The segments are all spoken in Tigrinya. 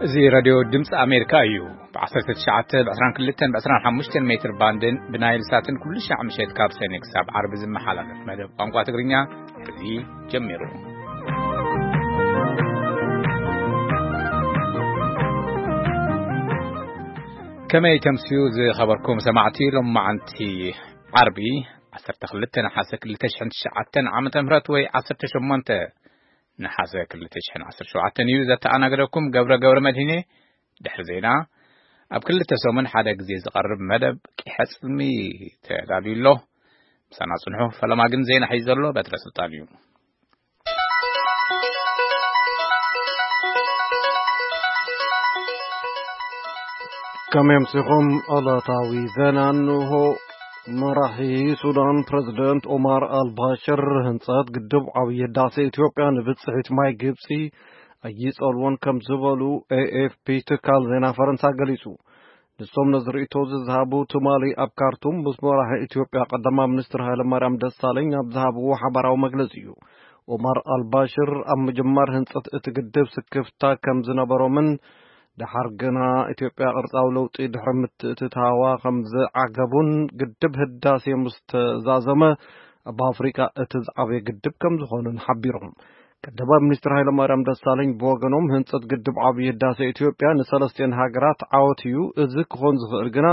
እዚ ራድዮ ድምፂ ኣሜሪካ እዩ። ብ ዓሰርተ ትሽዓተ፣ ብ ዕስራን ክልተን፣ ብ ዕስራን ሓሙሽተን ሜትር ባንድን ብናይል ሳትን ኩሉ ሻዕ ምሸት ካብ ሰኔ ክሳብ ዓርቢ ዝመሓላለፍ መደብ ቋንቋ ትግርኛ እዚ ጀሚሩ። ከመይ ተምስዩ ዝኸበርኩም ሰማዕቲ? ሎም መዓንቲ ዓርቢ ዓሰርተ ክልተ ነሓሰ ክልተ ሽሕን ትሽዓተን ዓመተ ምህረት ወይ ዓሰርተ ሸሞንተ ነሓሰ ክልተ ሽሕን ዓሰርተ ሸውዓተን እዩ። ዘተኣናገደኩም ገብረ ገብረ መድህኔ። ድሕሪ ዜና ኣብ ክልተ ሰሙን ሓደ ግዜ ዝቐርብ መደብ ቂሐ ጽልሚ ተዳልዩ ኣሎ። ምሳና ጽንሑ። ፈለማ ግን ዜና ሒዙ ዘሎ በትረ ስልጣን እዩ። ከመይ ኣምሲኹም? ዕለታዊ ዜና እንሆ። መራሒ ሱዳን ፕረዚደንት ኦማር ኣልባሽር ህንጸት ግድብ ዓብዪ ህዳሴ ኢትዮጵያ ንብጽሒት ማይ ግብጺ ኣይጸልዎን ከም ዝበሉ ኤ ኤፍ ፒ ትካል ዜና ፈረንሳ ገሊጹ። ንሶም ነዚ ርእይቶ እዚ ዝሃቡ ትማሊ ኣብ ካርቱም ምስ መራሒ ኢትዮጵያ ቀዳማይ ሚኒስትር ሃይለማርያም ደሳለኝ ኣብ ዝሃብዎ ሓባራዊ መግለጺ እዩ። ኦማር ኣልባሽር ኣብ ምጅማር ህንጸት እቲ ግድብ ስክፍታ ከም ዝነበሮምን ደሓር ግና ኢትዮጵያ ቅርጻዊ ለውጢ ድሕሪ ምትእትታዋ ከም ዝዓገቡን ግድብ ህዳሴ ምስ ተዛዘመ ኣብ ኣፍሪቃ እቲ ዝዓበየ ግድብ ከም ዝኾነን ሓቢሮም። ቀዳማይ ሚኒስትር ሃይለማርያም ደሳለኝ ብወገኖም ህንጸት ግድብ ዓብዪ ህዳሴ ኢትዮጵያ ንሰለስቲኤን ሃገራት ዓወት እዩ፣ እዚ ክኾን ዝኽእል ግና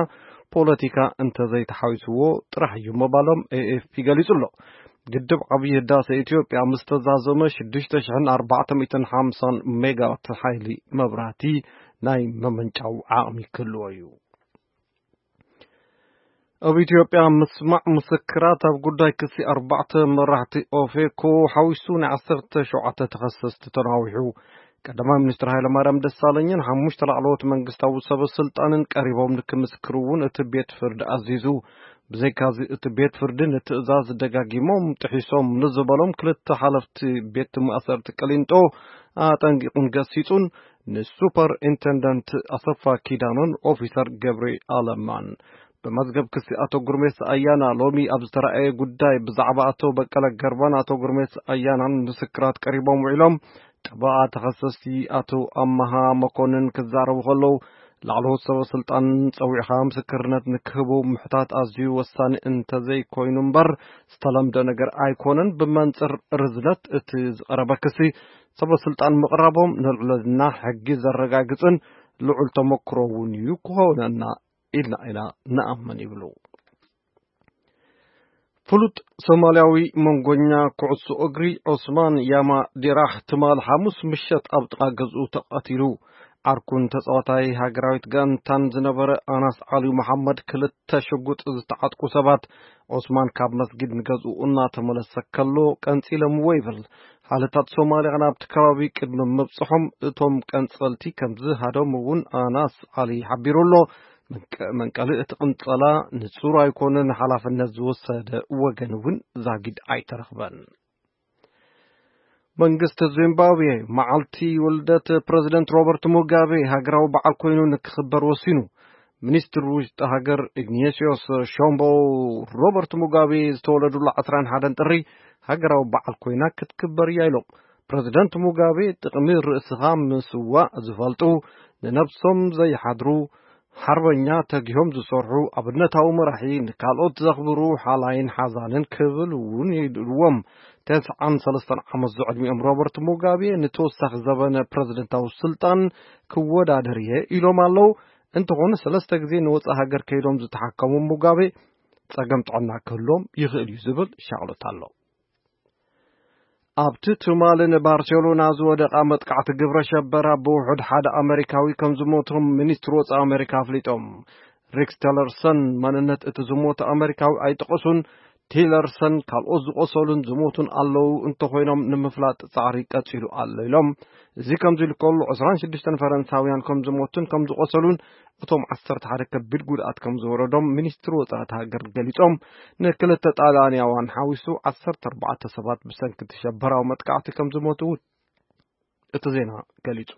ፖለቲካ እንተዘይተሓዊስዎ ጥራሕ እዩ ምባሎም ኤ ኤፍ ፒ ገሊጹ ኣሎ። ግድብ ዓብዪ ህዳሴ ኢትዮጵያ ምስ ተዛዘመ ሽዱሽተ ሽሕን ኣርባዕተ ሚእትን ሓምሳን ሜጋዋት ሓይሊ መብራህቲ ናይ መመንጫው ዓቕሚ ክህልዎ እዩ። ኣብ ኢትዮጵያ ምስማዕ ምስክራት ኣብ ጉዳይ ክሲ ኣርባዕተ መራሕቲ ኦፌኮ ሓዊሱ ናይ ዓሰርተ ሸውዓተ ተኸሰስቲ ተናዊሑ። ቀዳማይ ሚኒስትር ሃይለማርያም ደሳለኝን ሓሙሽተ ላዕለዎት መንግስታዊ ሰበ ስልጣንን ቀሪቦም ንክምስክሩ እውን እቲ ቤት ፍርዲ ኣዚዙ። ብዘይካዚ እቲ ቤት ፍርዲ ንትእዛዝ ደጋጊሞም ጥሒሶም ንዝበሎም ክልተ ሓለፍቲ ቤት ማእሰርቲ ቅሊንጦ ኣጠንቂቑን ገሲጹን ንሱፐር ኢንተንደንት ኣሰፋ ኪዳኖን ኦፊሰር ገብሪ ኣለማን። ብመዝገብ ክሲ ኣቶ ጉርሜሳ ኣያና ሎሚ ኣብ ዝተራእየ ጉዳይ ብዛዕባ ኣቶ በቀለ ገርባን ኣቶ ጉርሜሳ ኣያናን ምስክራት ቀሪቦም ውዒሎም። ጠበቓ ተኸሰስቲ ኣቶ ኣመሃ መኮንን ክዛረቡ ከለዉ ላዕለዎት ሰበ ስልጣን ጸዊዕኻ ምስክርነት ንክህቡ ምሕታት ኣዝዩ ወሳኒ እንተዘይኮይኑ እምበር ዝተለምደ ነገር ኣይኮነን። ብመንጽር ርዝነት እቲ ዝቐረበ ክሲ ሰበ ስልጣን ምቕራቦም ንልዕልና ሕጊ ዘረጋግጽን ልዑል ተመክሮ እውን እዩ ክኾነና ኢልና ኢና ንኣምን ይብሉ። ፍሉጥ ሶማልያዊ መንጎኛ ኩዕሶ እግሪ ዑስማን ያማ ዲራህ ትማል ሓሙስ ምሸት ኣብ ጥቓ ገዝኡ ተቐቲሉ። ዓርኩን ተጻዋታይ ሃገራዊት ጋንታን ዝነበረ ኣናስ ዓሊ መሓመድ ክልተ ሽጉጥ ዝተዓጥቁ ሰባት ዑስማን ካብ መስጊድ ንገዝኡ እናተመለሰ ከሎ ቀንጺሎምዎ ይብል። ሓይልታት ሶማልያ ናብቲ ከባቢ ቅድሚ ምብጽሖም እቶም ቀንጸልቲ ከም ዝሃደሙ እውን ኣናስ ዓሊ ሓቢሩ ኣሎ። መንቀ-፣ መንቀሊ እቲ ቅንጸላ ንጹር ኣይኮነን፣ ሓላፍነት ዝወሰደ ወገን እውን ዛጊድ ኣይተረኽበን። መንግስቲ ዚምባብዌ መዓልቲ ውልደት ፕረዚደንት ሮበርት ሙጋቤ ሃገራዊ በዓል ኮይኑ ንክኽበር ወሲኑ። ሚኒስትር ውሽጢ ሃገር ኢግኔስዮስ ሾምቦ ሮበርት ሙጋቤ ዝተወለዱሉ ዕስራን ሓደን ጥሪ ሃገራዊ በዓል ኮይና ክትክበር እያ ኢሎም። ፕረዚደንት ሙጋቤ ጥቕሚ ርእስኻ ምስዋእ ዝፈልጡ፣ ንነብሶም ዘይሓድሩ፣ ሓርበኛ ተጊሆም ዝሰርሑ ኣብነታዊ መራሒ፣ ንካልኦት ዘኽብሩ፣ ሓላይን ሓዛንን ክብል እውን ይድልዎም። ተስዓን ሰለስተን ዓመት ዝዕድሚኦም ሮበርት ሙጋቤ ንተወሳኺ ዘበነ ፕረዚደንታዊ ስልጣን ክወዳደር እየ ኢሎም ኣለዉ። እንተኾነ ሰለስተ ግዜ ንወጻኢ ሃገር ከይዶም ዝተሓከሙ ሙጋቤ ጸገም ጥዕና ክህልዎም ይኽእል እዩ ዝብል ሻቕሎት ኣሎ። ኣብቲ ትማሊ ንባርሴሎና ዝወደቓ መጥቃዕቲ ግብረ ሸበራ ብውሑድ ሓደ ኣመሪካዊ ከም ዝሞቶም ሚኒስትሪ ወጻኢ ኣመሪካ ኣፍሊጦም። ሪክስ ቴለርሰን መንነት እቲ ዝሞተ ኣመሪካዊ ኣይጠቐሱን። ቲለርሰን ካልኦት ዝቖሰሉን ዝሞቱን ኣለዉ፣ እንተኾይኖም ንምፍላጥ ጻዕሪ ቀጺሉ ኣሎ ኢሎም። እዚ ከምዚ ኢሉ ከሎ ዕስራን ሽዱሽተን ፈረንሳውያን ከም ዝሞቱን ከም ዝቖሰሉን እቶም ዓሰርተ ሓደ ከቢድ ጉድኣት ከም ዝወረዶም ሚኒስትሪ ወጻኢ እታ ሃገር ገሊጾም። ንክልተ ጣልያንያውያን ሓዊሱ ዓሰርተ ኣርባዕተ ሰባት ብሰንኪ እቲ ሸበራዊ መጥቃዕቲ ከም ዝሞቱ እውን እቲ ዜና ገሊጹ።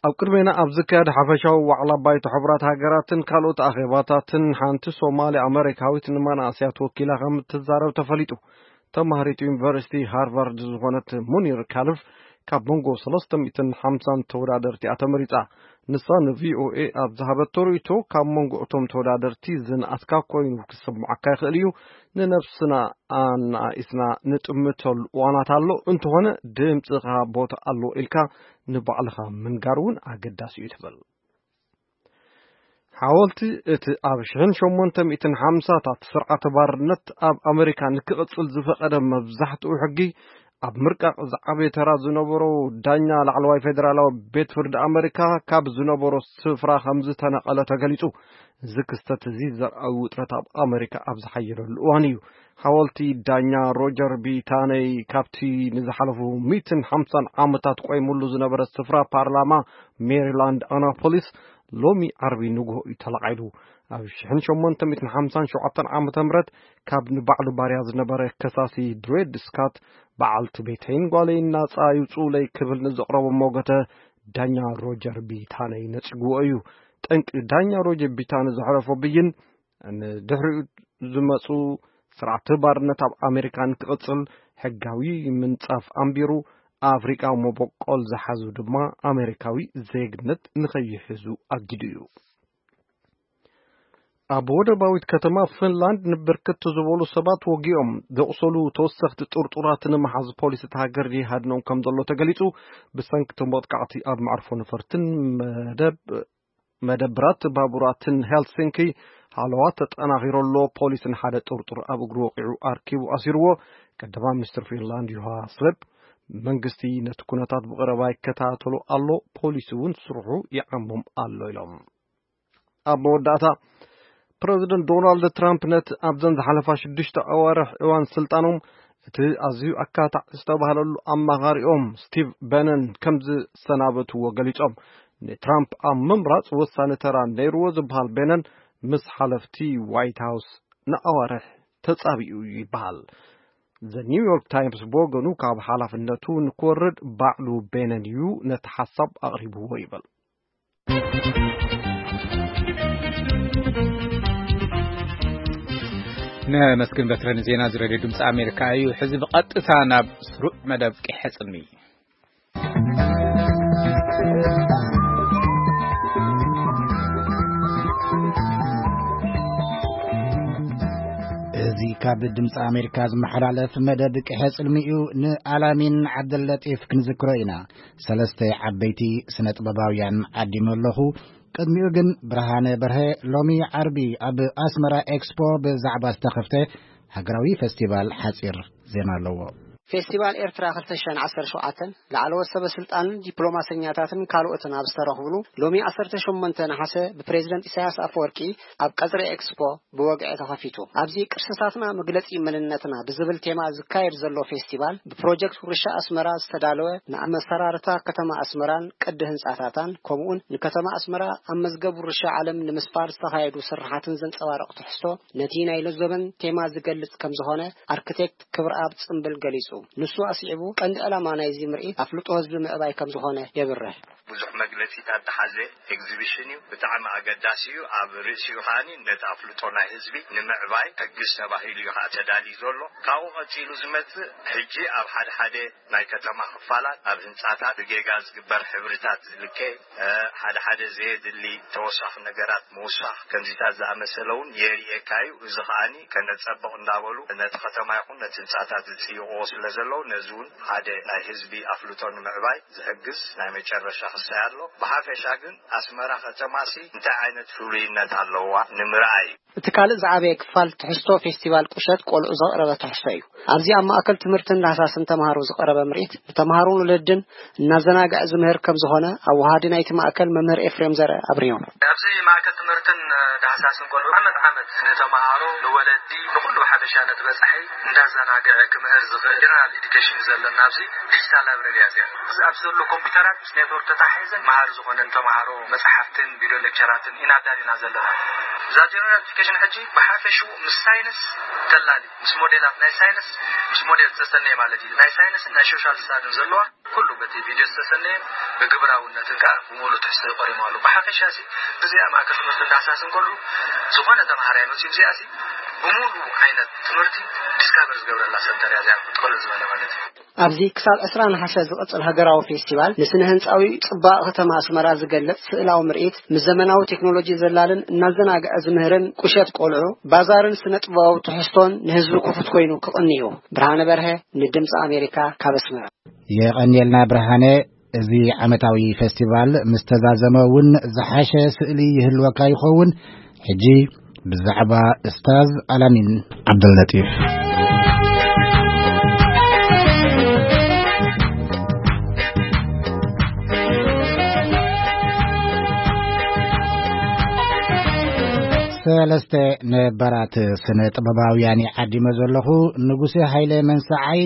ኣብ ቅድሜና ኣብ ዝካየድ ሓፈሻዊ ዋዕላ ባይቶ ሕቡራት ሃገራትን ካልኦት ኣኼባታትን ሓንቲ ሶማሊ ኣመሪካዊት ንመናእሰያት ወኪላ ከም እትዛረብ ተፈሊጡ። ተማሃሪት ዩኒቨርሲቲ ሃርቫርድ ዝኾነት ሙኒር ካልፍ ካብ መንጎ ሰለስተ ሚእትን ሓምሳን ተወዳደርቲ እያ ተመሪጻ። ንሳ ንቪኦኤ ኣብ ዝሃበቶ ርእይቶ፣ ካብ መንጎ እቶም ተወዳደርቲ ዝንኣስካ ኮይኑ ክስምዓካ ይኽእል እዩ። ንነብስና ኣናኢስና ንጥምተሉ እዋናት ኣሎ። እንተኾነ ድምፅኻ ቦታ ኣለዎ ኢልካ ንባዕልኻ ምንጋር እውን ኣገዳሲ እዩ ትብል። ሓወልቲ እቲ ኣብ ሽሕን ሸሞንተ ሚእትን ሓምሳታት ስርዓተ ባርነት ኣብ ኣመሪካ ንክቕጽል ዝፈቐደ መብዛሕትኡ ሕጊ፣ ኣብ ምርቃቕ ዝዓበየ ተራ ዝነበሮ ዳኛ ላዕለዋይ ፌደራላዊ ቤት ፍርዲ ኣመሪካ ካብ ዝነበሮ ስፍራ ከም ዝተነቐለ ተገሊጹ። እዚ ክስተት እዚ ዘርኣዊ ውጥረት ኣብ ኣመሪካ ኣብ ዝሓየለሉ እዋን እዩ። ሓወልቲ ዳኛ ሮጀር ቢ ታነይ ካብቲ ንዝሓለፉ ሚእትን ሓምሳን ዓመታት ቆይሙሉ ዝነበረ ስፍራ ፓርላማ ሜሪላንድ ኣናፖሊስ ሎሚ ዓርቢ ንግሆ እዩ ተለዓሉ። ኣብ ሽሕን ሸሞንተ ሚእትን ሓምሳን ሸውዓተን ዓመተ ምህረት ካብ ንባዕሉ ባርያ ዝነበረ ከሳሲ ድሬድ ስካት፣ በዓልቲ ቤተይን ጓለይን ናጻ ይውጽኡለይ ክብል ንዘቕረቦ ሞገተ ዳኛ ሮጀር ቢ ታነይ ነጺግዎ እዩ። ጠንቂ ዳኛ ሮጀር ቢ ታነይ ዘሕለፎ ብይን ንድሕሪኡ ዝመጹ ስርዓተ ባርነት ኣብ ኣሜሪካ ንክቕጽል ሕጋዊ ምንጻፍ ኣንቢሩ፣ ኣፍሪቃዊ መበቆል ዝሓዙ ድማ ኣሜሪካዊ ዜግነት ንኸይሕዙ ኣጊዱ እዩ። ኣብ ወደባዊት ከተማ ፊንላንድ ንብርክት ዝበሉ ሰባት ወጊኦም ዘቑሰሉ ተወሰኽቲ ጥርጡራት ንምሓዝ ፖሊስ እታ ሃገር ይሃድኖም ከም ዘሎ ተገሊጹ። ብሰንኪ እቶም መጥቃዕቲ ኣብ መዕርፎ ነፈርትን መደብ መደብራት ባቡራትን ሄልሲንኪ ሃለዋ ተጠናኺሩ ኣሎ። ፖሊስ ንሓደ ጥርጡር ኣብ እግሩ ወቒዑ ኣርኪቡ ኣሲርዎ። ቀዳማይ ሚኒስትር ፊንላንድ ዩሃ ስሌፕ፣ መንግስቲ ነቲ ኩነታት ብቐረባ ይከታተሎ ኣሎ፣ ፖሊስ እውን ስርሑ ይዓሞም ኣሎ ኢሎም። ኣብ መወዳእታ፣ ፕረዚደንት ዶናልድ ትራምፕ ነቲ ኣብዘን ዝሓለፋ ሽዱሽተ ኣዋርሕ እዋን ስልጣኖም እቲ ኣዝዩ ኣካታዕ ዝተባህለሉ ኣማኻሪኦም ስቲቭ በነን ከም ዝሰናበትዎ ገሊጾም። ንትራምፕ ኣብ ምምራጽ ወሳኒ ተራ ነይርዎ ዝበሃል በነን ምስ ሓለፍቲ ዋይት ሃውስ ንኣዋርሕ ተጻቢኡ ይበሃል። ዘ ኒውዮርክ ታይምስ ብወገኑ ካብ ሓላፍነቱ ንክወርድ ባዕሉ በነን እዩ ነቲ ሓሳብ ኣቕሪብዎ ይብል። ነመስግን በትረ ንዜና እዚ ሬድዮ ድምፂ ኣሜሪካ እዩ። ሕዚ ብቐጥታ ናብ ስሩዕ መደብ ቂሐ ጽልሚ። እዚ ካብ ድምፂ ኣሜሪካ ዝመሓላለፍ መደብ ቅሐ ጽልሚ እዩ። ንኣላሚን ዓብደለጢፍ ክንዝክሮ ኢና። ሰለስተ ዓበይቲ ስነ ጥበባውያን ዓዲመ ኣለኹ። ቅድሚኡ ግን ብርሃነ በርሀ ሎሚ ዓርቢ ኣብ ኣስመራ ኤክስፖ ብዛዕባ ዝተኸፍተ ሃገራዊ ፈስቲቫል ሓጺር ዜና ኣለዎ። ፌስቲቫል ኤርትራ ክልተ ሽሕን ዓሰርተ ሸውዓተን ላዕለዎት ሰበ ስልጣንን ዲፕሎማሰኛታትን ካልኦትን ኣብ ዝተረኽብሉ ሎሚ ዓሰርተ ሸሞንተ ነሓሰ ብፕሬዝደንት ኢሳያስ ኣፈወርቂ ኣብ ቀጽሪ ኤክስፖ ብወግዒ ተኸፊቱ። ኣብዚ ቅርስታትና መግለጺ መንነትና ብዝብል ቴማ ዝካየድ ዘሎ ፌስቲቫል ብፕሮጀክት ውርሻ ኣስመራ ዝተዳለወ ንኣመሰራርታ ከተማ ኣስመራን ቅዲ ህንጻታታን ከምኡውን ንከተማ ኣስመራ ኣብ መዝገብ ውርሻ ዓለም ንምስፋር ዝተኻየዱ ስርሓትን ዘንጸባርቕ ትሕዝቶ ነቲ ናይ ለዞበን ቴማ ዝገልጽ ከም ዝኾነ ኣርክቴክት ክብረኣብ ጽምብል ገሊጹ። ንሱ ኣስዒቡ፣ ቀንዲ ዕላማ ናይዚ ምርኢት ኣፍልጦ ህዝቢ ምዕባይ ከም ዝኾነ የብርህ። ብዙሕ መግለጺታት ዝሓዘ ኤግዚቢሽን እዩ። ብጣዕሚ ኣገዳሲ እዩ። ኣብ ርእሲኡ ከኣኒ ነቲ ኣፍልጦ ናይ ህዝቢ ንምዕባይ ሕግዝ ተባሂሉ እዩ ከዓ ተዳልዩ ዘሎ። ካብኡ ቀጺሉ ዝመጽእ ሕጂ ኣብ ሓደ ሓደ ናይ ከተማ ክፋላት ኣብ ህንጻታት ብጌጋ ዝግበር ሕብርታት ዝልከ፣ እ፣ ሓደ ሓደ ዘየድሊ ተወሳኺ ነገራት ምውሳኽ ከምዚታት ዝኣመሰለ እውን የርእየካ እዩ። እዚ ከኣኒ ከነጸብቕ እንዳበሉ ነቲ ከተማ ይኹን ነቲ ህንጻታት ዝጽይቕዎ ስለ ዘለዉ ነዚ እውን ሓደ ናይ ህዝቢ ኣፍልጦ ንምዕባይ ዝሕግዝ ናይ መጨረሻ ክሳይ ኣሎ። ብሓፈሻ ግን ኣስመራ ከተማሲ እንታይ ዓይነት ፍሉይነት ኣለዋ ንምርኣይ እዩ። እቲ ካልእ ዝዓበየ ክፋል ትሕዝቶ ፌስቲቫል ቁሸት ቆልዑ ዘቕረበ ትሕዝቶ እዩ። ኣብዚ ኣብ ማእከል ትምህርትን ዳህሳስን ተምሃሮ ዝቐረበ ምርኢት ንተምሃሮን ወለድን እናዘናግዐ ዝምህር ከም ዝኾነ ኣወሃዲ ናይቲ ማእከል መምህር ኤፍሬም ዘርአ ኣብሪሁ። ኣብዚ ማእከል ትምህርትን ዳህሳስን ቆልዑ ዓመት ዓመት ንተምሃሮ፣ ንወለዲ፣ ንኹሉ ብሓፈሻ ነቲ በጻሒ እንዳዘናግዐ ክምህር ዝኽእል ጀነራል ኤዱኬሽን እዩ ዘለና። ኣብዚ ዲጂታል ላይብረሪ እያ እዚኣ። ኣብዚ ኣብዚ ዘሎ ኮምፒውተራት ምስ ኔትወርክ ተተሓሒዘን መሃሪ ዝኾነን ተምሃሮ መጽሓፍትን ቪድዮ ሌክቸራትን ኢና ኣዳሊና ዘለና። እዛ ጀነራል ኤዱኬሽን ሕጂ ብሓፈሽኡ ምስ ሳይንስ ተላሊ፣ ምስ ሞዴላት ናይ ሳይንስ፣ ምስ ሞዴል ዝተሰነየ ማለት እዩ። ናይ ሳይንስን ናይ ሶሻል ስታድን ዘለዋ ኩሉ በቲ ቪድዮ ዝተሰነየን ብግብራውነትን ከዓ ብምሉእ ትሕዝቶ ይቆሪሙ ኣሎ። ብሓፈሻ ሲ ብዚኣ ማእከል ትምህርቲ እንዳሳስን ከሉ ዝኾነ ተምሃራይ መፅዩ እዚኣ ሲ ብሙሉ ዓይነት ትምህርቲ ዲስካቨር ዝገብረላ ሰንተር እያ እዚኣ፣ ቅልል ዝበለ ማለት እዩ። ኣብዚ ክሳብ ዕስራ ነሓሰ ዝቕጽል ሃገራዊ ፌስቲቫል፣ ንስነ ህንጻዊ ጽባቐ ከተማ ኣስመራ ዝገልጽ ስእላዊ ምርኢት፣ ምስ ዘመናዊ ቴክኖሎጂ ዘላልን እናዘናግዐ ዝምህርን ቁሸት ቆልዑ፣ ባዛርን ስነ ጥበባዊ ትሕዝቶን ንህዝቢ ክፉት ኮይኑ ክቕንዩ። ብርሃነ በርሀ፣ ንድምጺ ኣሜሪካ፣ ካብ ኣስመራ። የቐንየልና ብርሃነ። እዚ ዓመታዊ ፌስቲቫል ምስ ተዛዘመ እውን ዝሓሸ ስእሊ ይህልወካ ይኸውን። ሕጂ ብዛዕባ እስታዝ ኣላሚን ዓብደልለጢፍ። ሰለስተ ነባራት ስነ ጥበባውያን ይዓዲመ ዘለኹ። ንጉሴ ሃይለ መንሰዓይ፣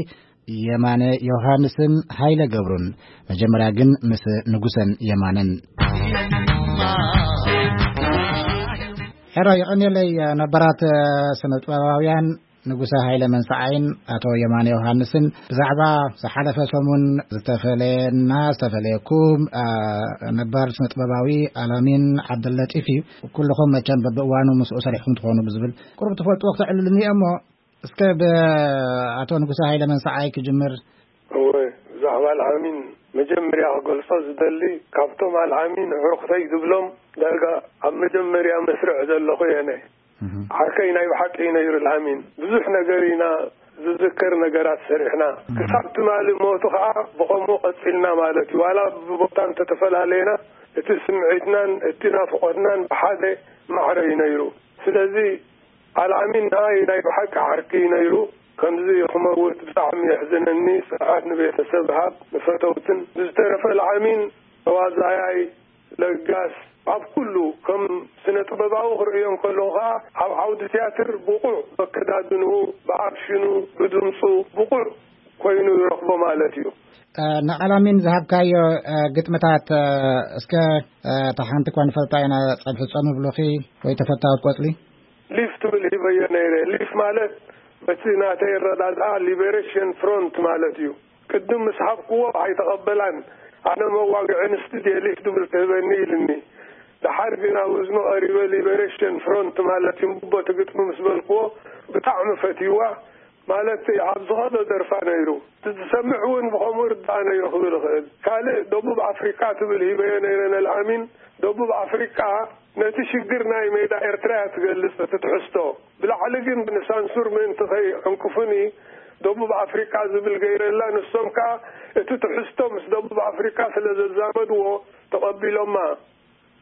የማነ ዮሃንስን ሃይለ ገብሩን። መጀመርያ ግን ምስ ንጉሰን የማነን። ሕራይ፣ የቐንየለይ ነባራት ስነ ጥበባውያን ንጉሰ ሃይለ መንሰዓይን ኣቶ የማነ ዮሃንስን ብዛዕባ ዝሓለፈ ሰሙን ዝተፈለየና፣ ዝተፈለየኩም፣ አ፣ ነባር ስነ ጥበባዊ ኣላሚን ዓብደልለጢፍ እዩ። ኩልኹም መቸም በብእዋኑ ምስኡ ሰሪሕኩም ትኾኑ ብዝብል ቁሩብ ትፈልጥዎ ክተዕልሉኒ እሞ፣ እስከ ብኣቶ ንጉሰ ሃይለ መንሰዓይ ክጅምር። እወ፣ ብዛዕባ ኣልዓሚን መጀመርያ ክገልጾ ዝደሊ፣ ካብቶም ኣልዓሚን ኣዕሩኽተይ ዝብሎም ዳርጋ ኣብ መጀመርያ መስርዕ ዘለኹ እየ ኣነ። እህ። ዓርከይ ናይ ብሓቂ እዩ ነይሩ ኣልዓሚን። ብዙሕ ነገር ኢና ዝዝከር ነገራት ሰሪሕና። እህ። ክሳብ ትማሊ ሞቱ ኸዓ ብኸምኡ ቀጺልና ማለት እዩ። ዋላ ብቦታ እንተተፈላለየና፣ እቲ ስምዒትናን እቲ ናፍቖትናን ብሓደ ማዕረ እዩ ነይሩ። ስለዚ ኣልዓሚን ንዓይ ናይ ብሓቂ ዓርኪ እዩ ነይሩ። ከምዚ ክመውት ብጣዕሚ የሕዝነኒ። ጽንዓት ንቤተሰብ ሃብ፣ ንፈተውትን። ብዝተረፈ ኣልዓሚን ተዋዛያይ፣ ለጋስ፣ ኣብ ኩሉ ከም ስነ ጥበባዊ ክርእዮ እንከለኹ ኸኣ ኣብ ዓውዲ ትያትር ብቑዕ፣ በከዳድንኡ፣ ብኣክሽኑ፣ ብድምጹ ብቑዕ ኮይኑ ይረኽቦ ማለት እዩ። እ፣ ንኣላሚን ዝሃብካዮ፣ እ፣ ግጥምታት፣ እ፣ እስከ፣ እ፣ እታ ሓንቲ እኳ ንፈልጣ ኢና፣ ጸብሒ ጾም ይብሉኺ ወይ ተፈታወት ቆጽሊ? ሊፍ ትብል ሂበዮ ነይረ። ሊፍ ማለት በቲ ናተይ ኣረዳድኣ ሊበሬሽን ፍሮንት ማለት እዩ። ቅድም ምስ ሃብክዎ ኣይተቐበላን። ኣነ መዋግዒ ኣንስቲ ድየ ሊፍ ትብል ትህበኒ ኢልኒ። ደሓር ግን ኣብ እዝኑ ቀሪበ ሊበሬሽን ፍሮንት ማለት እዩ እምቦ እቲ ግጥሚ ምስ በልክዎ ብጣዕሚ ፈትይዋ። ማለት ኣብ ዝኸዶ ደርፋ ነይሩ። እቲ ዝሰምዕ እውን ብኸምኡ ርዳእ ነይሩ ክብል እኽእል። ካልእ ደቡብ ኣፍሪቃ ትብል ሂበዮ ነይረ ነልኣሚን። ደቡብ ኣፍሪቃ ነቲ ሽግር ናይ ሜዳ ኤርትራ እያ ትገልጽ እቲ ትሕዝቶ። ብላዕሊ ግን ንሳንሱር ምእንቲ ከይዕንቅፉኒ ደቡብ ኣፍሪቃ ዝብል ገይረላ። ንሶም ከኣ እቲ ትሕዝቶ ምስ ደቡብ ኣፍሪቃ ስለ ዘዛመድዎ ተቐቢሎማ።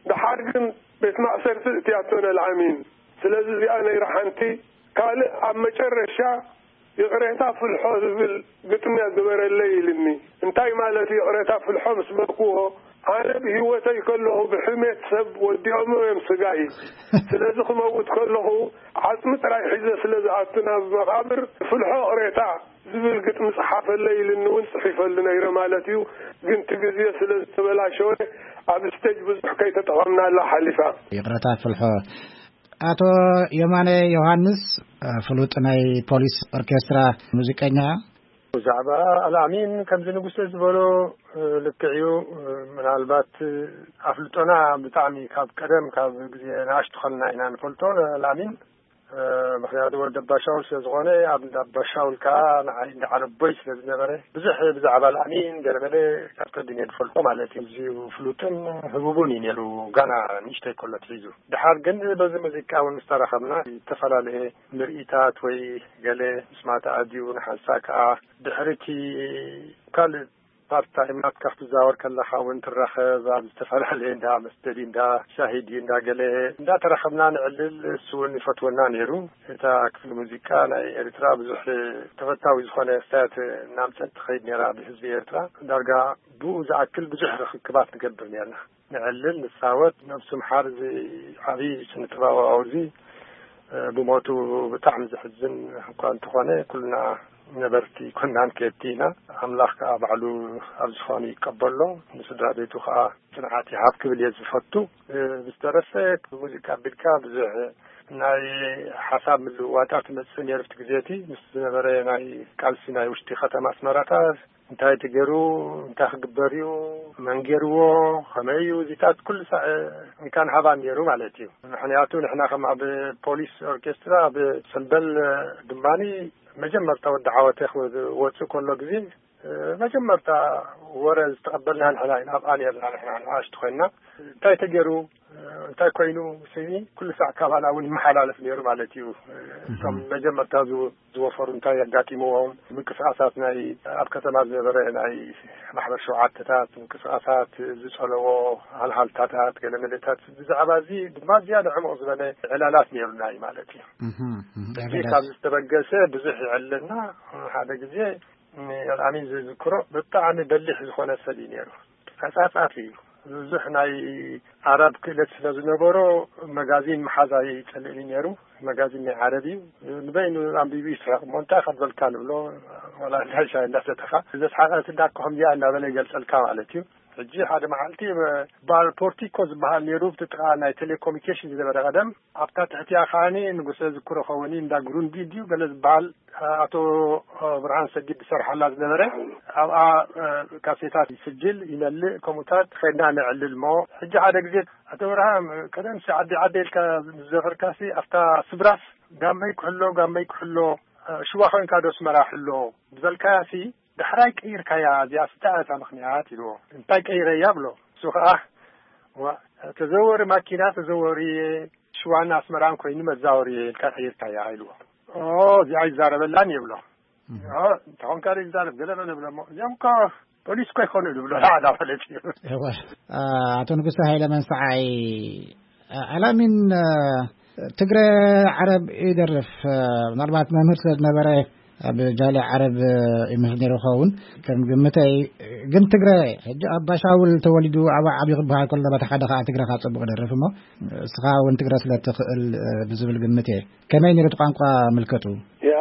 ደሓር ግን ቤት ማእሰርቲ እትያቶ ነልዓሚን። ስለዚ እዚኣ ነይራ ሓንቲ። ካልእ ኣብ መጨረሻ ይቕሬታ ፍልሖ ዝብል ግጥሚ ግበረለይ ኢልኒ። እንታይ ማለት እዩ ይቕሬታ ፍልሖ ምስ በልክዎ፣ ኣነ ብህይወተይ ከለኹ ብሕሜት ሰብ ወዲኦሞ እዮም ስጋይ። ስለዚ ክመውት ከለኹ ዓጽሚ ጥራይ ሒዘ ስለ ዝኣቱ ናብ መቓብር፣ ፍልሖ ይቕሬታ ዝብል ግጥሚ ጽሓፈለይ ኢልኒ እውን ጽሒፈሉ ነይረ ማለት እዩ። ግን እቲ ግዜ ስለ ዝተበላሸወ ኣብ ስቴጅ ብዙሕ ከይተጠቐምናላ ሓሊፋ። ይቕረታ ፍልሖ። ኣቶ የማነ ዮሃንስ፣ ፍሉጥ ናይ ፖሊስ ኦርኬስትራ ሙዚቀኛ። ብዛዕባ ኣልኣሚን ከምዚ ንጉሰ ዝበሎ ልክዕ እዩ። ምናልባት ኣፍልጦና ብጣዕሚ ካብ ቀደም፣ ካብ ግዜ ንኣሽቱ ከለና ኢና ንፈልጦ ኣልኣሚን። ምኽንያቱ ወዲ ኣባሻውል ስለ ዝኾነ፣ ኣብ እንዳ ኣባሻውል ከኣ ንዓይ እንዳ ዓረቦይ ስለ ዝነበረ፣ ብዙሕ ብዛዕባ ኣልኣሚን ገለመለ ካብ ቀዲም እየ ዝፈልጦ ማለት እዩ። ኣዝዩ ፍሉጥን ህቡብን እዩ ነይሩ፣ ጋና ንእሽተይ ከሎ ኣትሒዙ። ድሓር ግን በዚ ሙዚቃ እውን ምስ ተራኸብና፣ ዝተፈላለየ ምርኢታት ወይ ገለ ምስማዕ ተኣድዩ፣ ንሓንሳእ ከኣ ድሕሪ እቲ ካልእ ፓርት ታይም ናትካ ክትዛወር ከለኻ እውን ትራኸብ፣ ኣብ ዝተፈላለየ እንዳ መስተ ድዩ፣ እንዳ ሻሂ ድዩ፣ እንዳ ገለ እንዳተራኸብና ንዕልል። እሱ እውን ይፈትወና ነይሩ። እታ ክፍሊ ሙዚቃ ናይ ኤርትራ ብዙሕ ተፈታዊ ዝኾነ ስታያት እናምጸት ትኸይድ ነይራ ብህዝቢ ኤርትራ። ዳርጋ ብኡ ዝኣክል ብዙሕ ርኽክባት ንገብር ነርና። ንዕልል፣ ንጻወት። ነብሱ ምሓር እዚ ዓብዪ ስነ ጥበባዊ እዚ፣ እ፣ ብሞቱ ብጣዕሚ ዘሕዝን እኳ እንተኾነ፣ ኩልና ነበርቲ ኮናን ከየድቲ ኢና። ኣምላኽ ከኣ ባዕሉ ኣብ ዝኾነ ይቀበሎ፣ ንስድራ ቤቱ ከኣ ጽንዓት ይሃብ ክብል እየ ዝፈቱ። እ፣ ብዝተረፈ፣ ብሙዚቃ ኣቢልካ ብዙሕ ናይ ሓሳብ ምልውዋጣት ይመጽእ ነይሩ። ኣብቲ ግዜ እቲ ምስ ዝነበረ ናይ ቃልሲ ናይ ውሽጢ ከተማ ኣስመራታት፣ እንታይ ተገይሩ፣ እንታይ ክግበር እዩ፣ መን ገይርዎ፣ ከመይ እዩ፣ እዚታት ኩሉ ሳዕ እንካን ሃባን ነይሩ ማለት እዩ። ምክንያቱ ንሕና ከም ኣብ ፖሊስ ኦርኬስትራ፣ ኣብ ሰምበል ድማኒ መጀመርታ ወዲ ዓወተ ክወፅእ ከሎ ግዜ፣ መጀመርታ ወረ ዝተቐበልና ንሕና ኢና፣ ኣብኣ ነርና ንሕና ንኣሽቱ ኮይና። እንታይ ተገይሩ፣ እንታይ ኮይኑ፣ ስኒ ኩሉ ሳዕ ካባና እውን ይመሓላለፍ ነይሩ ማለት እዩ። እቶም መጀመርታ ዝወ-፣ ዝወፈሩ እንታይ ኣጋጢምዎም፣ ምንቅስቃሳት ናይ ኣብ ከተማ ዝነበረ ናይ ማሕበር ሸውዓተታት ምንቅስቃሳት፣ ዝጸለዎ ሃልሃልታታት፣ ገለ መለታት፣ ብዛዕባ እዚ ድማ ዝያዳ ዕሙቕ ዝበለ ዕላላት ነይሩና እዩ ማለት እዩ። እዚ ካብ ዝተበገሰ ብዙሕ ይዕለና። ሓደ ግዜ ኣልኣሚን ዝዝክሮ ብጣዕሚ በሊሕ ዝኾነ ሰብ እዩ ነይሩ። ተጻጻፊ እዩ። ብዙሕ ናይ ኣረብ ክእለት ስለ ዝነበሮ፣ መጋዚን ምሓዝ ኣይጸልእን እዩ ነይሩ። መጋዚን ናይ ዓረብ እዩ። ንበይኑ ኣንቢቡ ይስሕቕ። እሞ እንታይ ከበልካ ንብሎ፣ ዋላ እንዳ ሻሂ እንዳሰተኻ። ዘስሓቐት እንዳ እኮ ከምዚኣ እናበለ ይገልጸልካ ማለት እዩ። ሕጂ ሓደ መዓልቲ በዓል ፖርቲኮ ዝበሃል ነይሩ፣ ብቲ ጥቓ ናይ ቴሌኮሙኒኬሽን ዝነበረ ቀደም። ኣብታ ትሕቲኣ ከዓኒ ንጉሰ ዝክሮ ኸውን እንዳ ግሩንዲ ድዩ ገለ ዝበሃል፣ ኣቶ ብርሃን ሰጊድ ዝሰርሓላ ዝነበረ፣ ኣብኣ፣ እ፣ ካሴታት ይስጅል፣ ይመልእ፣ ከምኡታት ኸድና ነዕልል። እሞ ሕጂ ሓደ ግዜ፣ "ኣቶ ብርሃን፣ ቀደምሲ ዓዲ ዓዲ ኢልካ ዝዘፈርካሲ፣ ኣብታ ስብራስ ጋመይ ክሕሎ፣ ጋመይ ክሕሎ፣ እ፣ ሽዋ ኾይንካ ዶ ኣስመራ ሕሎ?" ዝበልካያሲ፣ ዳሕራይ ቀይርካያ፣ እዚኣ ስንታይ እያ እታ ምኽንያት? ኢልዎ። "እንታይ ቀይረያ?" ብሎ። እሱ ኸዓ፣ "ዋ፣ ተዘወሪ ማኪና ተዘወሪ፣ ሽዋን ኣስመራን ኮይኑ መዛወሪ ኢልካ ቀይርካያ" ኢልዎ። "ኦ፣ እዚኣ ይዛረበላን" ይብሎ። "ኦ፣ እንተኾንካ ዶ ይዛረብ ገለ በለ" ብሎ። እሞ "እዚኦም እኮ ፖሊስ እኮ ይኾኑ" ዝብሎ ሓደ ማለት እዩ። እወ። ኣ፣ ኣቶ ንጉሰ ሃይለ መንሰዓይ፣ ኣ፣ ኣላሚን፣ ኣ፣ ትግረ ዓረብ ይደርፍ፣ ኣ፣ ምናልባት መምህር ስለ ዝነበረ ኣብ ጃልያ ዓረብ ይምህር ነይሩ ክኸውን ከም ግምተይ። ግን ትግረ፣ ሕጂ ኣባ ሻውል ተወሊዱ ኣብ ዓብዩ ክበሃል ከሎ፣ በታ ሓደ ከዓ ትግረ ካብ ጽቡቕ ደርፍ እሞ፣ እስኻ እውን ትግረ ስለ ትኽእል ብዝብል ግምት እየ። ከመይ ነይሩ እቲ ቋንቋ ምልከቱ? ያ፣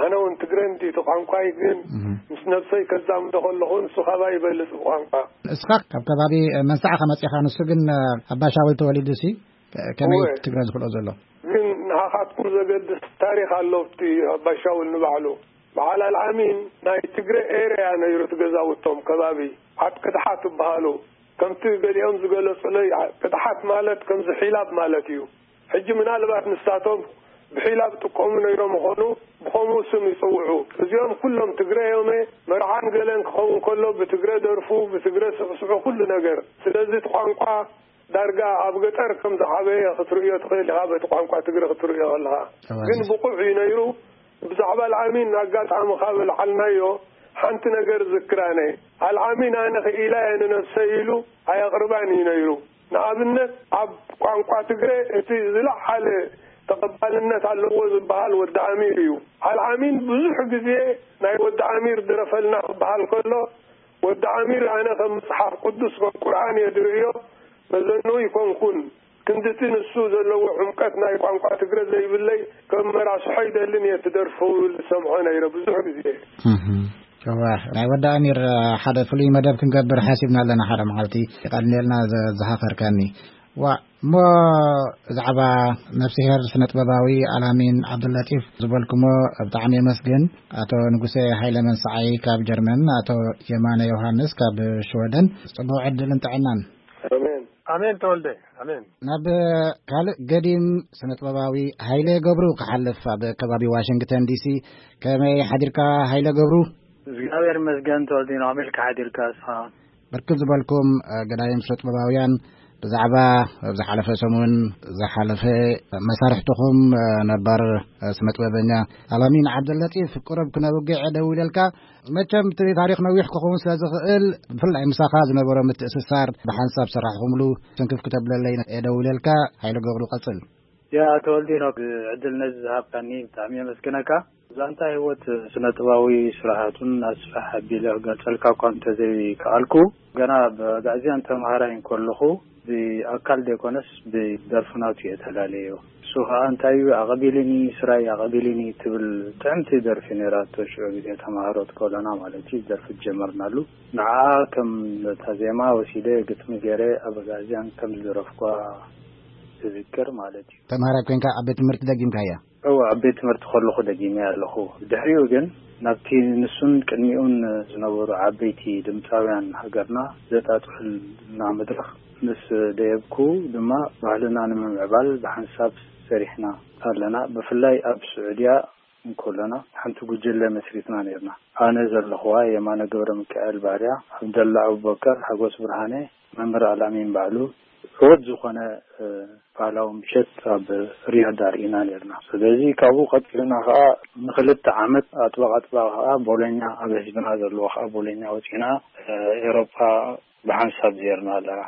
ኣነ እውን ትግረ እንዲ እቲ ቋንቋይ፣ ግን እህ። ምስ ነብሰይ ከዛምዶ ከለኹ ንሱ ካባይ ይበልጽ ቋንቋ። እስኻ ካብ ከባቢ መንሳዕ ከመጺኻ፣ ንሱ ግን ኣባ ሻውል ተወሊዱ ሲ ከመይ እወ። ትግረ ዝኽእሎ ዘሎ? ግን ንሃኻትኩም ዘገድስ ታሪኽ ኣሎ ኣብቲ ኣባ ሻውል ንባዕሉ። በዓል ኣልዓሚን ናይ ትግረ ኤርያ ነይሩ እቲ ገዛውቶም ከባቢ ዓድ ቅድሓት ይበሃሉ። ከምቲ ገሊኦም ዝገለጹለይ ቅድሓት ማለት ከምዚ ሒላብ ማለት እዩ። ሕጂ ምናልባት ንሳቶም ብሒላብ ጥቀሙ ነይሮም ይኾኑ፣ ብኸምኡ ስም ይጽውዑ። እዚኦም ኩሎም ትግረ እዮም። መርዓን ገለን ክኸውን ከሎ ብትግረ ደርፉ፣ ብትግረ ስዕስዑ ኩሉ ነገር። ስለዚ እቲ ቋንቋ ዳርጋ ኣብ ገጠር ከም ዝዓበየ ክትርእዮ ትኽእል ኢኻ፣ በቲ ቋንቋ ትግረ ክትርእዮ ከለኻ። ተባሪኽ። ግን ብቑዕ እዩ ነይሩ። ብዛዕባ ኣልዓሚን ኣጋጣሚ ካብ ኣልዓልናዮ ሓንቲ ነገር ዝክራነ። ኣልዓሚን ኣነ ክኢላ እየ ንነብሰይ ኢሉ ኣየቕርባን እዩ ነይሩ። ንኣብነት ኣብ ቋንቋ ትግረ እቲ ዝለዓለ ተቐባልነት ኣለዎ ዝበሃል ወዲ ኣሚር እዩ። ኣልዓሚን ብዙሕ ግዜ ናይ ወዲ ኣሚር ድረፈልና ክበሃል ከሎ፣ ወዲ ኣሚር ኣነ ከም መጽሓፍ ቅዱስ ከም ቁርኣን እየ ዝርእዮ፣ መዘንኡ ይኮንኩን። ክንድቲ ንሱ ዘለዎ ዕምቀት ናይ ቋንቋ ትግረ ዘይብለይ፣ ከም መራስሖ ይደልን እየ ትደርፉ ዝሰምዖ ነይረ ብዙሕ ግዜ። እህ። እዋ፣ ናይ ወዲ ኣሚር ሓደ ፍሉይ መደብ ክንገብር ሓሲብና ኣለና። ሓደ መዓልቲ የቐንየልና ዘ-፣ ዝሃኸርከኒ። ዋ፣ እሞ ብዛዕባ ነፍስሄር ስነ ጥበባዊ ኣላሚን ዓብዱላጢፍ ዝበልኩሞ ብጣዕሚ የመስግን። ኣቶ ንጉሴ ሃይለ መንሰዓይ ካብ ጀርመን፣ ኣቶ የማነ ዮሃንስ ካብ ሽወደን፣ ጽቡቕ ዕድልን ጥዕናን። ኣሜን። ኣሜን ተወልደ፣ ኣሜን። ናብ ካልእ ገዲም ስነ ጥበባዊ ሃይለ ገብሩ ክሓልፍ፣ ኣብ ከባቢ ዋሽንግተን ዲሲ። ከመይ ሓዲርካ ሃይለ ገብሩ? እግዚኣብሔር ይመስገን ተወልዲኖ፣ ኣሜልካ ሓዲርካ እስኻ? ብርክት ዝበልኩም፣ እ፣ ገዳይም ስነ ጥበባውያን ብዛዕባ ኣብ ዝሓለፈ ሰሙን ዝሓለፈ መሳርሕትኹም፣ እ፣ ነባር፣ እ፣ ስነ ጥበበኛ ኣላሚን ዓብደለጢፍ ቁሩብ ክነውግዕ ደው ኢለልካ። መቸም እቲ ታሪኽ ነዊሕ ክኸውን ስለ ዝኽእል፣ ብፍላይ ምሳኻ ዝነበሮ ምትእስሳር፣ ብሓንሳብ ሰራሕኹምሉ ስንክፍ ክተብለለይ እየ ደው ኢለልካ። ሃይለ ገብሩ ቀጽል። ያ ተወልዲኖ፣ ዕድል ነዚ ዝሃብካኒ ብጣዕሚ የመስግነካ። ዛንታ ህይወት ስነ ጥባዊ ስራሓቱን ኣስፍሕ ኣቢለ ክገልጸልካ እኳ እንተዘይከኣልኩ፣ ገና ብኣግኣዝያን ተምሃራይ እንከለኹ ብኣካል ዘይኮነስ ብደርፊ ናቱ እየ ተላለዮ። እሱ ኸኣ እንታይ እዩ፣ ኣቐቢልኒ፣ ስራይ ኣቐቢልኒ ትብል ጥዕምቲ ደርፊ ነይራቶ። ሽዑ ግዜ ተምሃሮ ትከሎና ማለት እዩ፣ ደርፊ ጀመርናሉ። ንዓኣ ከም እታ ዜማ ወሲደ ግጥሚ ገይረ ኣብ ኣግኣዝያን ከም ዝደረፍኳ እዝክር ማለት እዩ። ተምሃራይ ኮይንካ ኣብ ቤት ትምህርቲ ደጊምካያ? እወ፣ ኣብ ቤት ትምህርቲ ከለኹ ደጊመ ኣለኹ። ድሕሪኡ ግን ናብቲ ንሱን ቅድሚኡን ዝነበሩ ዓበይቲ ድምፃውያን ሃገርና ዘጣጥሑልና መድረኽ ምስ ደየብኩ ድማ፣ ባህልና ንምምዕባል ብሓንሳብ ሰሪሕና ኣለና። ብፍላይ ኣብ ስዑድያ እንከለና ሓንቲ ጉጅለ መስሪትና ነርና። ኣነ ዘለኹዋ የማነ ገብረ ሚካኤል ባርያ፣ ዓብደላ ኣቡበከር፣ ሓጎስ ብርሃነ፣ መምህር ኣላሚን ባዕሉ፣ ዕወት ዝኾነ፣ እ፣ ባህላዊ ምሸት ኣብ ሪያድ ኣርኢና ነርና። ስለዚ ካብኡ ቀጺልና ከኣ ንኽልተ ዓመት ኣጥባቕ ኣጥባቕ ከኣ ቦሎኛ፣ ኣብ ህዝብና ዘለዎ ከኣ ቦሎኛ ወጺና፣ እ፣ ኤውሮጳ ብሓንሳብ ዜርና ኣለና።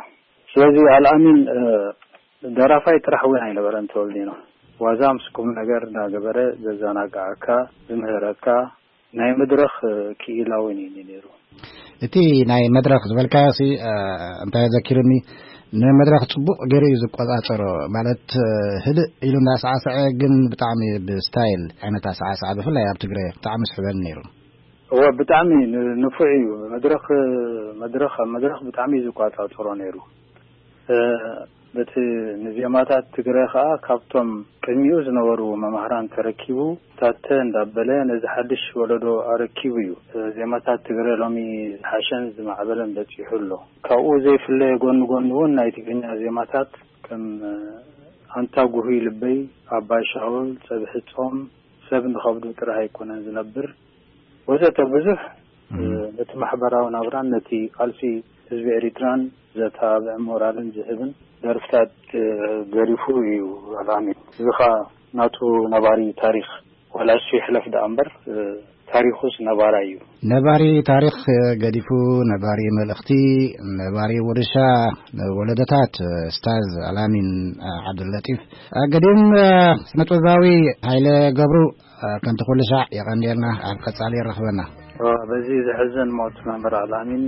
ስለዚ ኣልኣሚን፣ እ፣ ደራፋይ ጥራሕ እውን ኣይነበረን ተወልዲኖ። ዋዛ ምስ ቁም ነገር እንዳገበረ ዘዘናግዓካ፣ ዝምህረካ፣ ናይ መድረኽ ክኢላ እውን እዩ ነይሩ። እቲ ናይ መድረኽ ዝበልካዮ ሲ፣ እ፣ እንታይ ዘኪሩኒ፣ ንመድረኽ ጽቡቕ ገይሩ እዩ ዝቆጻጸሮ። ማለት፣ እ፣ ህድእ ኢሉ እንዳሳዕሰዐ፣ ግን ብጣዕሚ ብስታይል ዓይነት ኣሳዕስዓ፣ ብፍላይ ኣብ ትግረ ብጣዕሚ ስሕበኒ ነይሩ። እወ፣ ብጣዕሚ ን-፣ ንፉዕ እዩ። መድረኽ፣ መድረኽ፣ ኣብ መድረኽ ብጣዕሚ እዩ ዝቆጻጸሮ ነይሩ። እ፣ በቲ ንዜማታት ትግረ ኸኣ ካብቶም ቅድሚኡ ዝነበሩ መማህራን ተረኪቡ፣ ታተ እንዳበለ ነዚ ሓድሽ ወለዶ ኣረኪቡ እዩ። እ፣ ዜማታት ትግረ ሎሚ ዝሓሸን ዝማዕበለን በጺሑ ኣሎ። ካብኡ ዘይፍለ፣ ጎኒ ጎኒ እውን ናይ ትግርኛ ዜማታት ከም፣ እ፣ ኣንታ ጉሁይ ልበይ፣ ኣባይ ሻውል፣ ጸብሒ ጾም፣ ሰብ ንኸብዱ ጥራሕ ኣይኮነን ዝነብር፣ ወዘተ ብዙሕ፣ እም። ነቲ ማሕበራዊ ናብራን ነቲ ቃልሲ ህዝቢ ኤሪትራን ዘተባብዕ ሞራልን ዝህብን ደርፍታት፣ እ፣ ገዲፉ እዩ ኣልኣሚን። እዚ ኸኣ ናቱ ነባሪ ታሪኽ፣ ዋላ እሱ ይሕለፍ ደኣ እምበር፣ እ፣ ታሪኹስ ነባራይ እዩ። ነባሪ ታሪኽ ገዲፉ፣ ነባሪ መልእኽቲ፣ ነባሪ ውርሻ ንወለዶታት፣ ኡስታዝ ኣልኣሚን ዓብዱለጢፍ። ገዲም ስነጥበባዊ ሃይለ ገብሩ፣ ከምቲ ኩሉ ሻዕ የቐንየልና፣ ኣብ ቀጻሊ የራኽበና። በዚ ዘሕዝን ሞት መምህር ኣልኣሚን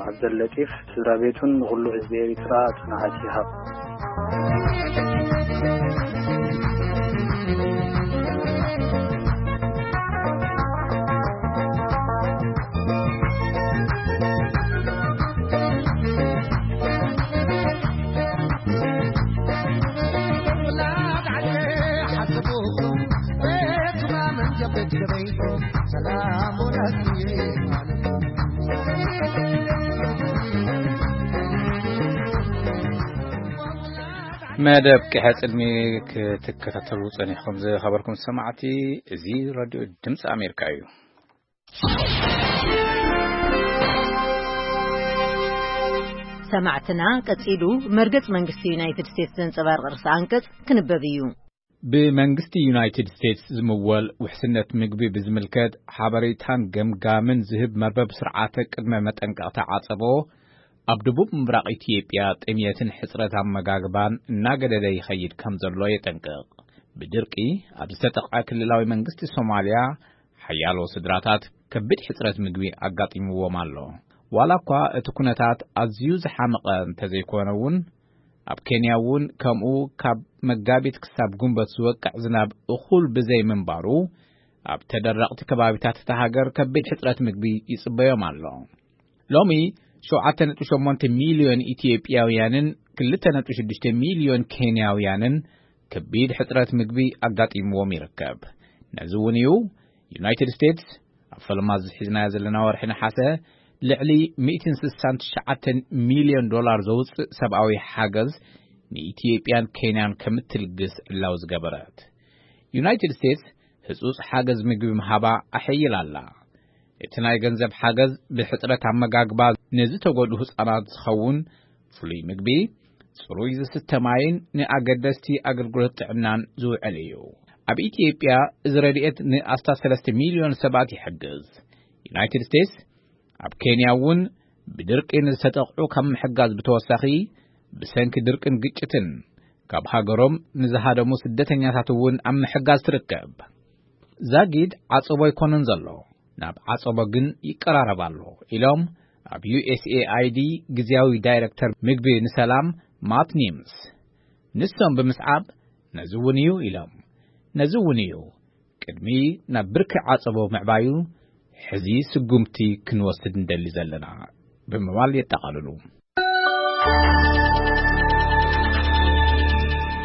ዓብደለጢፍ፣ ስድራ ቤቱን ንኹሉ ህዝቢ ኤሪትራ ጽንዓት ይሃብ። መደብ ቂሐ ጽልሚ ክትከታተሉ ጸኒሕኩም ዝኸበርኩም ሰማዕቲ፣ እዚ ራድዮ ድምፂ ኣሜሪካ እዩ። ሰማዕትና፣ ቀጺሉ መርገጽ መንግስቲ ዩናይትድ ስቴትስ ዘንጸባርቕ ርእሰ ኣንቀጽ ክንበብ እዩ። ብመንግስቲ ዩናይትድ ስቴትስ ዝምወል ውሕስነት ምግቢ ብዝምልከት ሓበሬታን ገምጋምን ዝህብ መርበብ ስርዓተ ቅድመ መጠንቀቕታ ዓጸቦ፣ ኣብ ደቡብ ምብራቕ ኢትዮጵያ ጥምየትን ሕጽረት ኣመጋግባን እናገደደ ይኸይድ ከም ዘሎ የጠንቅቕ። ብድርቂ ኣብ ዝተጠቕዐ ክልላዊ መንግስቲ ሶማልያ፣ ሓያሎ ስድራታት ከቢድ ሕጽረት ምግቢ ኣጋጢምዎም ኣሎ። ዋላ እኳ እቲ ኩነታት ኣዝዩ ዝሓመቐ እንተዘይኮነ እውን፣ ኣብ ኬንያ እውን ከምኡ ካብ መጋቢት ክሳብ ጉንበት ዝወቅዕ ዝናብ እኹል ብዘይ ምንባሩ፣ ኣብ ተደረቕቲ ከባቢታት እታ ሃገር ከቢድ ሕጽረት ምግቢ ይጽበዮም ኣሎ። ሎሚ ሸውዓተ ነጥቢ ሸሞንተ ሚልዮን ኢትዮጵያውያንን ክልተ ነጥቢ ሽዱሽተ ሚልዮን ኬንያውያንን ከቢድ ሕጽረት ምግቢ ኣጋጢምዎም ይርከብ። ነዚ እውን እዩ ዩናይትድ ስቴትስ ኣብ ፈለማ እዚ ሒዝናዮ ዘለና ወርሒ ነሓሰ ልዕሊ ሚእትን ስሳን ትሽዓተን ሚልዮን ዶላር ዘውፅእ ሰብኣዊ ሓገዝ ንኢትዮጵያን ኬንያን ከምትልግስ ዕላዊ ዝገበረት። ዩናይትድ ስቴትስ ህጹጽ ሓገዝ ምግቢ ምሃባ ኣሐይላ ኣላ። እቲ ናይ ገንዘብ ሓገዝ ብሕጽረት ኣመጋግባ ንዝተጎድኡ ህጻናት ዝኸውን ፍሉይ ምግቢ፣ ጽሩይ ዝስተ ማይን ንኣገደስቲ ኣገልግሎት ጥዕናን ዝውዕል እዩ። ኣብ ኢትዮጵያ እዚ ረድኤት ንኣስታት ሰለስተ ሚልዮን ሰባት ይሕግዝ። ዩናይትድ ስቴትስ ኣብ ኬንያ እውን ብድርቂ ንዝተጠቕዑ ካብ ምሕጋዝ ብተወሳኺ፣ ብሰንኪ ድርቅን ግጭትን ካብ ሃገሮም ንዝሃደሙ ስደተኛታት እውን ኣብ ምሕጋዝ ትርከብ። ዛጊድ ዓጸቦ ኣይኮነን ዘሎ፣ ናብ ዓጸቦ ግን ይቀራረብ ኣሎ ኢሎም ኣብ ዩ ኤስ ኤ ኣይ ዲ ግዝያዊ ዳይረክተር ምግቢ ንሰላም ማት ኒምስ። ንሶም ብምስዓብ ነዚ እውን እዩ ኢሎም። ነዚ እውን እዩ ቅድሚ ናብ ብርኪ ዓጸቦ ምዕባዩ ሕዚ ስጉምቲ ክንወስድ እንደሊ ዘለና ብምባል የጠቓልሉ።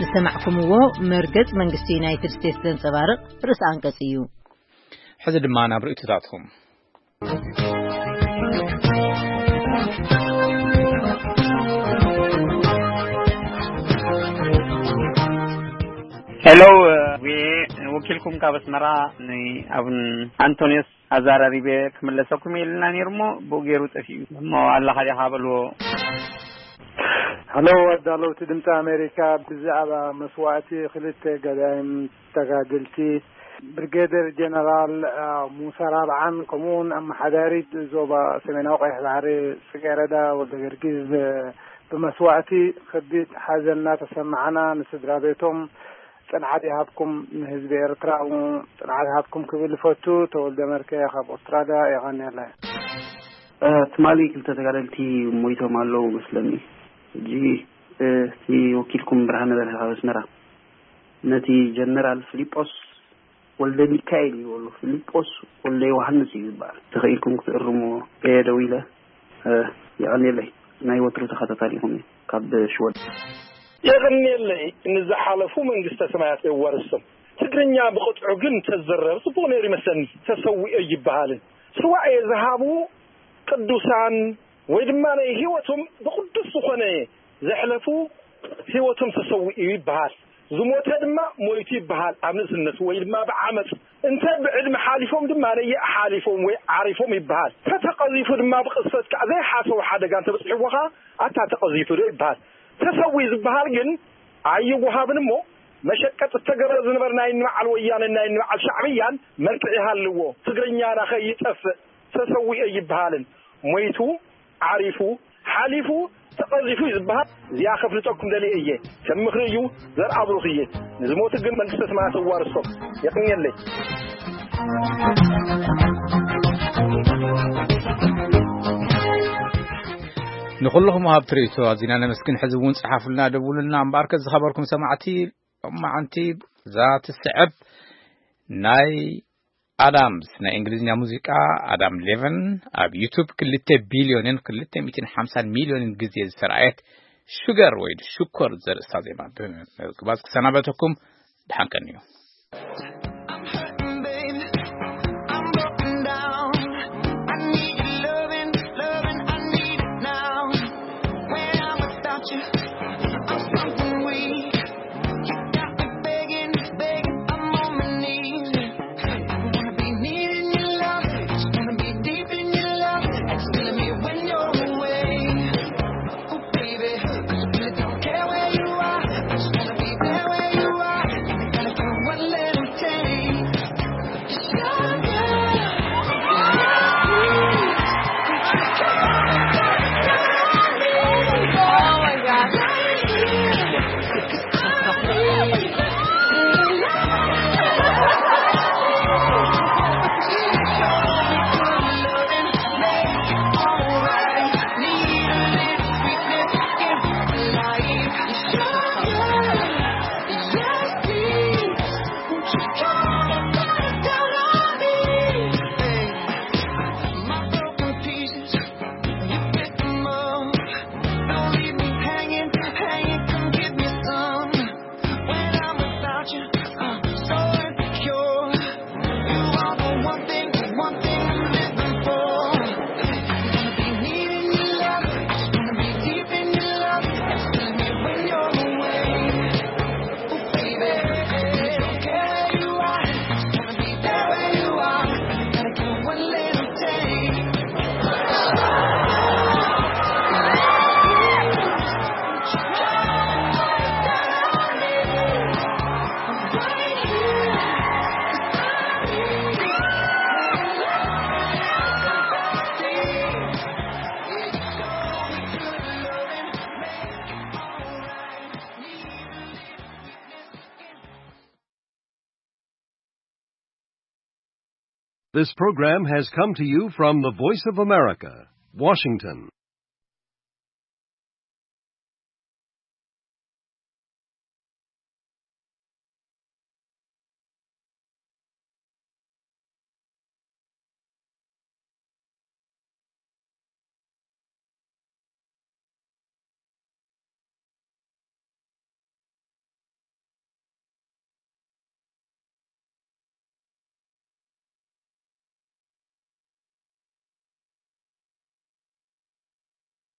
ዝሰማዕኩምዎ መርገጽ መንግስቲ ዩናይትድ ስቴትስ ዘንጸባርቕ ርእሰ ኣንቀጽ እዩ። ሕዚ ድማ ናብ ርእይቶታትኩም። ሄሎ፣ እ፣ ወኪልኩም ካብ ኣስመራ ንኣቡን ኣንቶንዮስ ኣዘራሪበ ክምለሰኩም ኢልና ነይሩ እሞ ብኡ ገይሩ ጠፊኡ። እሞ ኣለኻ ዲኻ በልዎ። ሄሎ፣ ኣዳለውቲ ድምፂ ኣሜሪካ፣ ብዛዕባ መስዋእቲ ክልተ ገዳይም ተጋደልቲ ብሪጌደር ጀነራል፣ አ፣ ሙሳ ራብዓን ከምኡውን ኣመሓዳሪት ዞባ ሰሜናዊ ቀይሕ ባሕሪ ጽጌረዳ ወልደ ገርጊስ፣ እ፣ ብመስዋእቲ ከቢድ ሓዘን እናተሰማዓና፣ ንስድራ ቤቶም ጽንዓት ይሃብኩም፣ ንህዝቢ ኤርትራ እውን ጽንዓት ይሃብኩም ክብል ይፈቱ። ተወልደ መርከ ካብ ኣውስትራልያ። የቐንየለይ። እ፣ ትማሊ ክልተ ተጋደልቲ ሞይቶም ኣለዉ መስለኒ። ሕጂ፣ እ፣ እቲ ወኪልኩም ብርሃነ በርሀ ካብ ኣስመራ ነቲ ጀነራል ፊሊጶስ ወልደ ሚካኤል እዩ በሉ። ፊሊጶስ ወልደ ዮሃንስ እዩ ዝበሃል። ተኸኢልኩም ክትእርምዎ እየ ደዊለ። እ፣ የቐንየለይ። ናይ ወትሩ ተኸታታሊኹም እየ ካብ ሽወደን። የቐንየለይ። ንዝሓለፉ መንግስተ ሰማያት የዋርሶም። ትግርኛ ብቕጥዑ ግን ተዝዝረብ ጽቡቕ ነይሩ ይመስለኒ። ተሰዊኦ ይበሃልን ስዋኤ ዝሃቡ ቅዱሳን ወይ ድማ ናይ ህይወቶም ብቕዱስ ዝኾነ ዘሕለፉ ህይወቶም ተሰዊኡ ይበሃል። ዝሞተ ድማ ሞይቱ ይበሃል። ኣብ ንእስነቱ ወይ ድማ ብዓመፅ እንተ ብዕድመ ሓሊፎም ድማ ነየ ሓሊፎም ወይ ዓሪፎም ይበሃል። ተተቐዚፉ ድማ ብቕስፈት ከዓ ዘይሓሰቡ ሓደጋ እንተበፅሕዎ ከዓ ኣታ ተቐዚፉ ዶ ይበሃል። ተሰዊ ዝበሃል ግን ኣይወሃብን እሞ መሸቀጥ እተገብረ ዝነበረ ናይ ንበዓል ወያነ ናይ ንበዓል ሻዕብያን መልክዕ ይሃልዎ። ትግርኛና ከይጠፍእ ተሰዊኦ ይበሃልን ሞይቱ ዓሪፉ ሓሊፉ ተቐዚፉ እዩ ዝበሃል። እዚኣ ከፍልጠኩም ደልየ እየ። ከም ምኽሪ እዩ። ዘርኣብሩኽ እየ። ንዝሞቱ ግን መንግስተ ሰማያት ኣዋርሶም። የቕንየለይ። ንኹልኹም ኣብ ትርኢቶ ኣዚና ነመስግን። ሕዚ እውን ጸሓፉልና፣ ደውሉልና። እምበኣርከ ዝኸበርኩም ሰማዕቲ፣ ሎማዓንቲ እዛ ትስዕብ ናይ ኣዳምስ ናይ እንግሊዝኛ ሙዚቃ፣ ኣዳም ሌቨን፣ ኣብ ዩቱብ ክልተ ቢልዮንን ክልተ ሚእትን ሓምሳን ሚልዮንን ግዜ ዝተረኣየት ሹገር ወይ ሽኮር ዘርእስታ ዜማ ብምግባዝ ክሰናበተኩም። ደሓን ቀንዩ። I'm hurting, baby. I'm broken down. I need your loving, loving. I need it now. When I'm without you, I'm something weak. You got me begging, begging. I'm on my knees. I wanna be needing your love. Just wanna be deep in your love. It's killing me when you're away. Ooh, baby, I really don't care where you are. I just wanna be there where you are. Gotta do one little thing. It's your girl. Oh my God. Don't leave me hanging, hanging, come give me some. When I'm without you, I'm so insecure. You are the one thing, the one thing I'm living for. Wanna be needing your love, wanna be deep in your love. It's killing me when you're away. Ooh, baby, I don't care where you are, just wanna be there where you are. Gotta do one little thing. This program has come to you from the Voice of America, Washington.